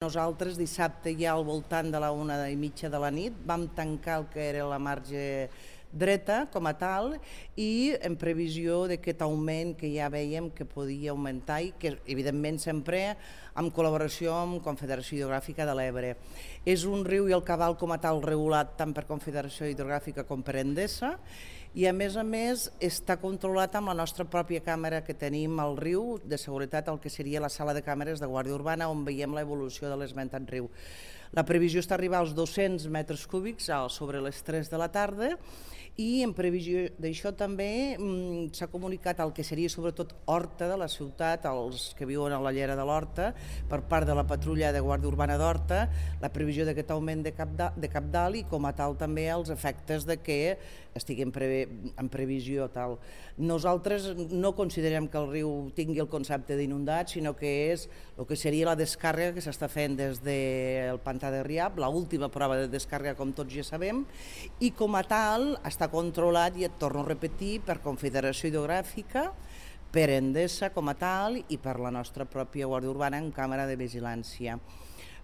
Nosaltres dissabte ja al voltant de la 1:30 de la nit vam tancar el que era la marge dreta com a tal i en previsió d'aquest augment que ja vèiem que podia augmentar i que evidentment sempre en col·laboració amb Confederació Hidrogràfica de l'Ebre. És un riu i el cabal com a tal regulat tant per Confederació Hidrogràfica com per Endesa i a més està controlat amb la nostra pròpia càmera que tenim al riu de seguretat, el que seria la sala de càmeres de Guàrdia Urbana on veiem l'evolució de l'esmentat riu. La previsió està arribar als 200 metres cúbics sobre les 3 de la tarda i en previsió d'això també s'ha comunicat el que seria sobretot Horta de la ciutat, els que viuen a la llera de l'Horta, per part de la patrulla de Guàrdia Urbana d'Horta, la previsió d'aquest augment de cabdal i com a tal també els efectes de que estiguem en previsió tal. Nosaltres no considerem que el riu tingui el concepte d'inundat, sinó que és el que seria la descàrrega que s'està fent des del pantà de Riab, l'última prova de descàrrega com tots ja sabem, i com a tal està controlat, i et torno a repetir, per Confederació Hidrogràfica, per Endesa com a tal i per la nostra pròpia Guàrdia Urbana en càmera de vigilància.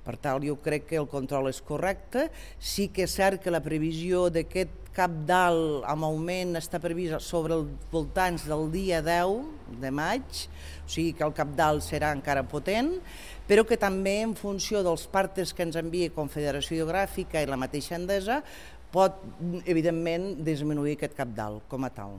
Per tant, jo crec que el control és correcte. Sí que és cert que la previsió d'aquest cabdal amb augment està prevista sobre els voltants del dia 10 de maig, o sigui que el cabdal serà encara potent, però que també en funció dels partes que ens envia Confederació Hidrogràfica i la mateixa Endesa pot, evidentment, disminuir aquest cabdal com a tal.